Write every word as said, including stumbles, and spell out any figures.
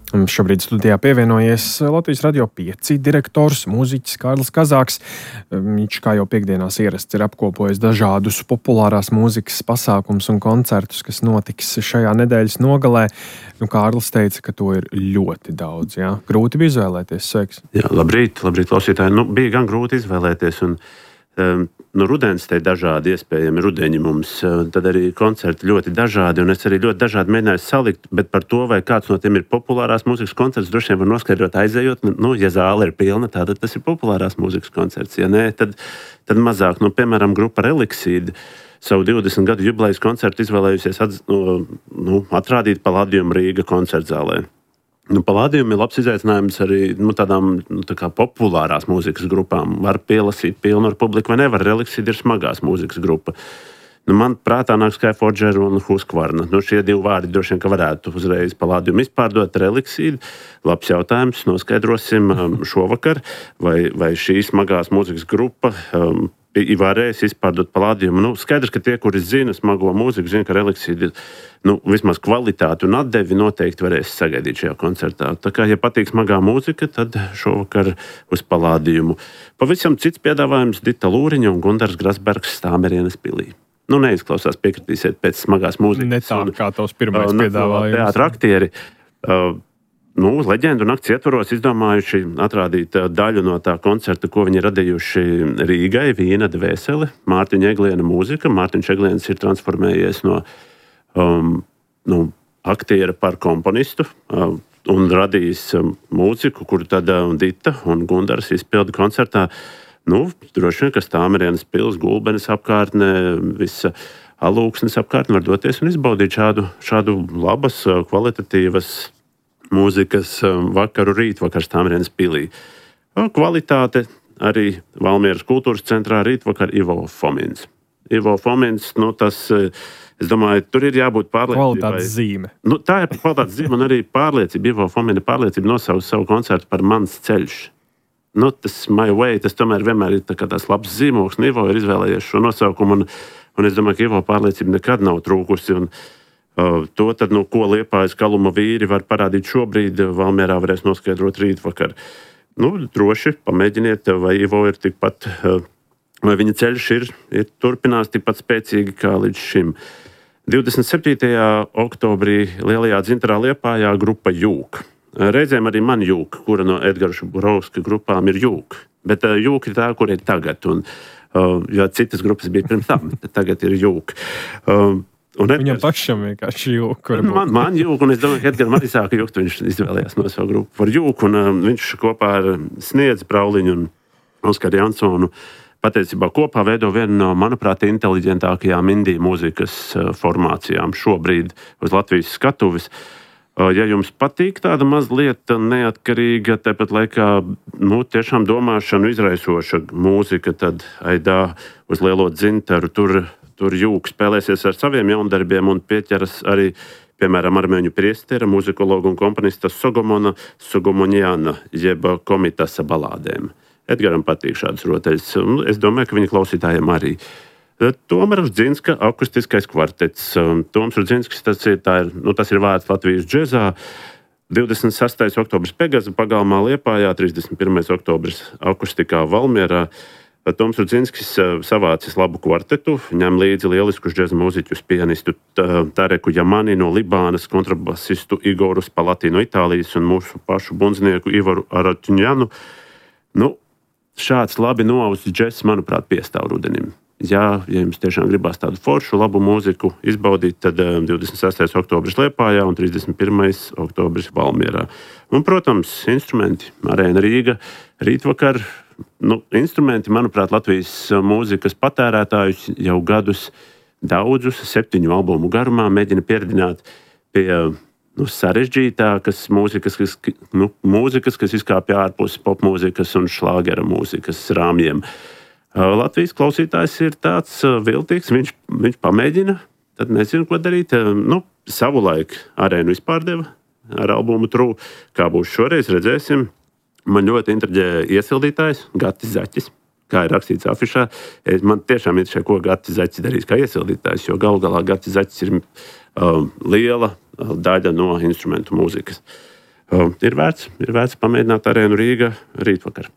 Šobrīd studijā pievienojies Latvijas Radio pieci direktors, mūziķis Kārlis Kazāks. Viņš, kā jau piekdienās ierasts, ir apkopojis dažādus populārās mūzikas pasākumus un koncertus, kas notiks šajā nedēļas nogalē. Nu, Kārlis teica, ka to ir ļoti daudz. Jā? Grūti bija izvēlēties. Sveiks! Jā, labrīt, labrīt, klausītāji. Nu, bija gan grūti izvēlēties. Un, um, nu, rudens te dažādi iespējami rudeņi mums. Tad arī koncerti ļoti dažādi. Un es arī ļoti dažādi mēģināju salikt. Bet par to, vai kāds no tiem ir populārās mūzikas koncerts, droši vien var noskaidrot aizejot. Nu, ja zāle ir pilna, tad tas ir populārās mūzikas koncerts. Ja nē, tad, tad mazāk. Nu, piemēram, grupa Reliksīda savu divdesmit gadu jubilejas koncertu izvēlējusies atz, nu, nu, atrādīt Palladium Rīga koncertzālē. Nu, Palladium ir labs izaicinājums arī nu, tādām nu, tā kā populārās mūzikas grupām. Var pielasīt pilnu ar publiku vai nevar. Reliksīda ir smagās mūzikas grupa. Nu, man prātā nāk Skyforger un Husqvarna. Nu, šie divi vārdi droši vien, ka varētu uzreiz Palladium izpārdot. Reliksīda. Labs jautājums. Noskaidrosim um, šovakar, vai, vai šī smagās mūzikas grupa um, varēs izpārdot Palladium. Nu, skaidrs, ka tie, kuri zina smago mūziku, zina, ka Reliksīda nu, vismaz kvalitāti un atdevi noteikti varēs sagaidīt šajā koncertā. Tā kā, ja patīk smagā mūzika, tad šovakar uz Palladiumu. Pavisam cits piedāvājums Dita Lūriņa un Gundars Grasbergs Stāmerienes pilī. Nu, neizklausās, piekritīsiet pēc smagās mūzikas. Ne tā, kā tavs pirmais uh, piedāvājums. Teātra aktieri. Uh, Nu, leģendu nakts ietvaros izdomājuši atrādīt daļu no tā koncerta, ko viņi radījuši Rīgai, Vīna dvēsele, Mārtiņa Egliena mūzika. Mārtiņš Egliens ir transformējies no um, nu, aktiera par komponistu um, un radījis um, mūziku, kuru tad um, Dita un Gundars izpilda koncertā. Nu, droši vien, ka Stāmerienes pils, Gulbenes apkārtne, visa Alūksnes apkārtne var doties un izbaudīt šādu, šādu labas, kvalitatīvas mūzikas vakaru rītvakar Stāmerienes pilī. Kvalitāte arī Valmieras kultūras centrā rītvakar Ivo Fomins. Ivo Fomins, nu tas, es domāju, tur ir jābūt pārliecībai. Kvalitātes zīme. Nu, tā ir kvalitātes zīme un arī pārliecība. Ivo Fomina pārliecība nosauc savu koncertu par Mans ceļš. Nu, tas My Way, tas tomēr vienmēr ir tā kā tās labs zīmoks. Un Ivo ir izvēlējies šo nosaukumu un, un es domāju, ka Ivo pārliecība nekad nav trūkusi. Un, Uh, to, tad, nu, ko Liepājas Kaluma vīri var parādīt šobrīd, Valmierā varēs noskaidrot rītvakar. Nu, droši pamēģiniet, vai Ivo ir tikpat, uh, vai viņa ceļš ir, ir turpinās tikpat spēcīgi kā līdz šim. divdesmit septītajā oktobrī Lielajā Dzintarā Liepājā grupa Jūk. Reizēm arī man Jūk, kura no Edgara Šuburovska grupām ir Jūk. Bet uh, Jūk ir tā, kur ir tagad. Un, uh, jo citas grupas bija pirms tam, tad tagad ir Jūk. Uh, Edgars, Viņam pašam vienkārši jūka. Man, man jūka, un es domāju, ka Edgars arī sāka jūkt. Viņš izvēlējās no savu grupu par jūku. Un, um, viņš kopā ar Sniedzi Prauliņu un Oskaru Jansonu patiesībā kopā veido vienu no, manuprāt, inteliģentākajām indiju mūzikas uh, formācijām šobrīd uz Latvijas skatuves. Uh, ja jums patīk tāda mazliet neatkarīga, tāpat laikā nu, tiešām domāšanu izraisoša mūzika, tad aidā uz Lielo Dzintaru tur. Tur Jūka spēlēsies ar saviem jaundarbiem un pieķeras arī, piemēram, armēņu priestera, muzikologa un komponista Sogomona Sogomonjana, jeb Komitasa balādēm. Edgaram patīk šādas rotaļas. Es domāju, ka viņa klausītājiem arī. Toms Rudzinska akustiskais kvartets. Toms Rudzinskis, tas ir, tā ir, nu, tas ir vārds Latvijas džezā. divdesmit sestais oktobris Pegaza pagalmā Liepājā, trīsdesmit pirmais oktobris akustikā Valmierā. Toms Rudzinskis savācis labu kvartetu, ņem līdzi lieliskus džeza mūziķus, pianistu Tareku Jamani no Libānas, kontrabasistu Igoru Spalati no Itālijas un mūsu pašu bundznieku Ivaru Aratuņjanu. Nu, šāds labi noausis džess, manuprāt, piestāv rudenim. Ja, ja jums tiešām gribās tādu foršu, labu mūziku izbaudīt, tad divdesmit sestais oktobris Liepājā un trīsdesmit pirmais oktobris Valmierā. Un, protams, instrumenti, Arēna Rīga, rītvakar. Nu, instrumenti, manuprāt, Latvijas mūzikas patērētājus jau gadus daudzus, septiņu albumu garumā mēģina pieredzināt pie nu, sarežģītākas mūzikas, kas, nu, mūzikas, kas izkāpja ārpus popmūzikas un šlāgera mūzikas rāmjiem. Latvijas klausītājs ir tāds viltīgs, viņš, viņš pamēģina, tad nezinu, ko darīt. Nu, savulaik Arēnu vispār deva ar albumu True. Kā būs šoreiz, redzēsim. Man ļoti intriģē iesildītājs, Gatis Zaķis, kā ir rakstīts afišā. Man tiešām interesē, ko Gatis Zaķis darīs kā iesildītājs, jo galu galā Gatis Zaķis ir um, liela daļa no instrumentu mūzikas. Ir vērts, ir vērts pamēģināt arēnu Rīga rītvakar.